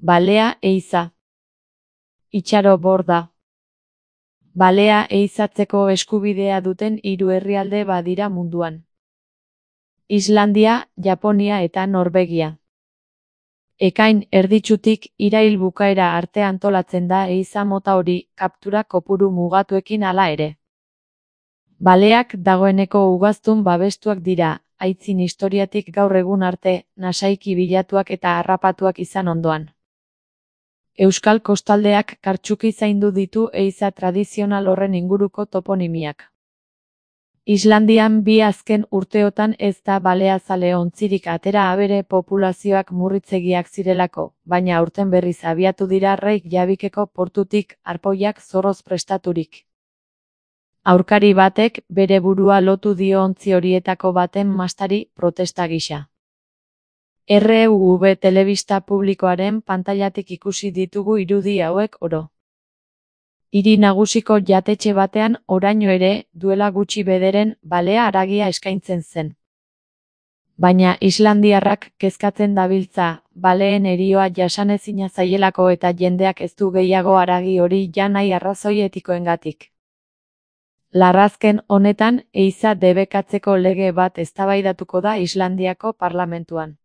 Balea ehiza. Itxaro borda. Balea ehizatzeko eskubidea duten 3 herrialde badira munduan. Islandia, Japonia eta Norvegia. Ekain erditsutik irail bukaera arte antolatzen da ehiza mota hori, kaptura kopuru mugatuekin hala ere. Baleak dagoeneko ugaztun babestuak dira, aitzin historiatik gaur egun arte, nasaiki bilatuak eta harrapatuak izan ondoan. Euskal kostaldeak kartsuki zaindu ditu ehiza tradizional horren inguruko toponimiak. Islandian 2 azken urteotan ez da baleazale ontzirik atera abere populazioak murritzegiak zirelako, baina aurten berriz abiatu dira Reykjavikeko portutik arpoiak zorroz prestaturik. Aurkari batek bere burua lotu dio ontzi horietako baten mastari protesta gisa. RUV telebista publikoaren pantailatik ikusi ditugu irudi hauek oro. Hiri nagusiko jatetxe batean oraino ere, duela gutxi bederen, balea haragia eskaintzen zen. Baina islandiarrak kezkatzen dabiltza, baleen herioa jasanezina zaielako eta jendeak ez du gehiago haragi hori jan nahi arrazoi etikoengatik. Larrazken honetan, ehiza debekatzeko lege bat eztabaidatuko da Islandiako parlamentuan.